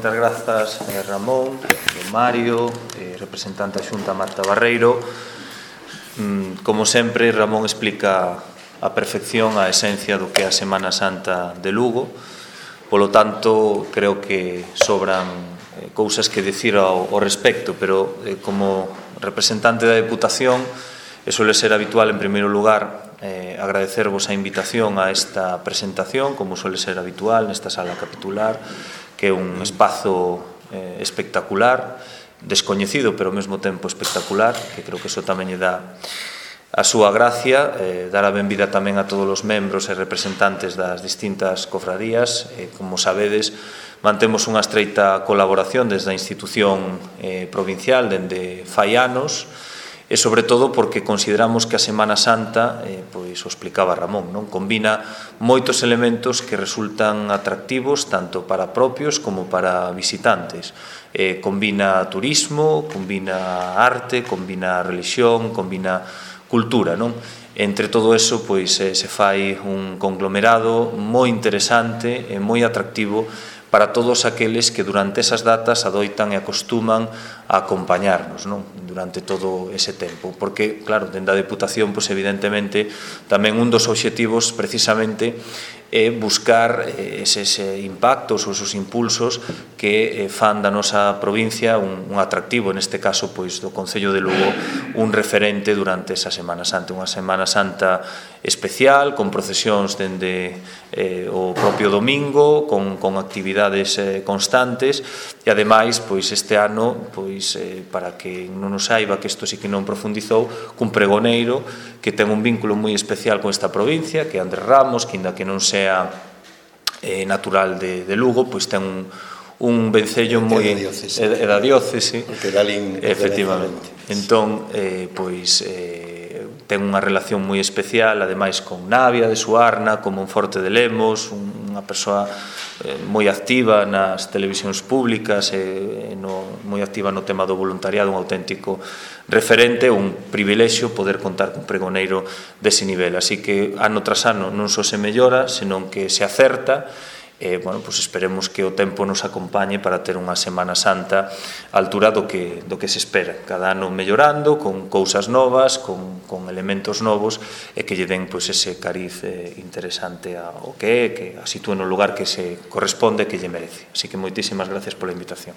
Moitas grazas, Ramón, Mario, representante da Xunta Marta Barreiro. Como sempre, Ramón explica a perfección a esencia do que é a Semana Santa de Lugo. Polo tanto, creo que sobran cousas que dicir ao respecto, pero como representante da Deputación, e suele ser habitual, en primeiro lugar, agradecervos a invitación a esta presentación, como suele ser habitual nesta sala capitular, que é un espazo espectacular, descoñecido, pero ao mesmo tempo espectacular, que creo que iso tamén lle dá a súa gracia, dar a benvida tamén a todos os membros e representantes das distintas cofradías. Como sabedes, mantemos unha estreita colaboración desde a institución provincial dende fai anos, e sobre todo porque consideramos que a Semana Santa, pois o explicaba Ramón, non combina moitos elementos que resultan atractivos tanto para propios como para visitantes. Combina turismo, combina arte, combina religión, combina cultura, non? Entre todo eso, pois se fai un conglomerado moi interesante e moi atractivo para todos aqueles que durante esas datas adoitan e acostuman a acompañarnos, non? Durante todo ese tempo. Porque, claro, dende a Deputación, pois, evidentemente, tamén un dos obxectivos precisamente é buscar eses impactos ou esos impulsos que fan da nosa provincia un atractivo, neste caso, pois, do Concello de Lugo, un referente durante esa Semana Santa. Unha Semana Santa especial, con procesións dende o propio domingo, con actividades constantes, e ademais, pois, este ano, pois, para que non nos saiba, que isto sí que non profundizou, cun pregoneiro que ten un vínculo moi especial con esta provincia, que é Andrés Ramos, que ainda que non sea natural de Lugo, pois ten un vencello moi da diócese, efectivamente. Entón, pois, ten unha relación moi especial, ademais, con Navia de Suarna, con Monforte de Lemos, unha persoa moi activa nas televisións públicas, moi activa no tema do voluntariado, un auténtico referente, un privilexio poder contar cun pregoneiro dese nivel. Así que, ano tras ano, non só se mellora, senón que se acerta. Bueno, pues esperemos que o tempo nos acompañe para ter unha Semana Santa á altura do que se espera, cada ano mellorando, con cousas novas, con elementos novos, e que lle den, pois, ese cariz interesante ao que a sitúe no lugar que se corresponde e que lle merece. Así que moitísimas gracias pola invitación.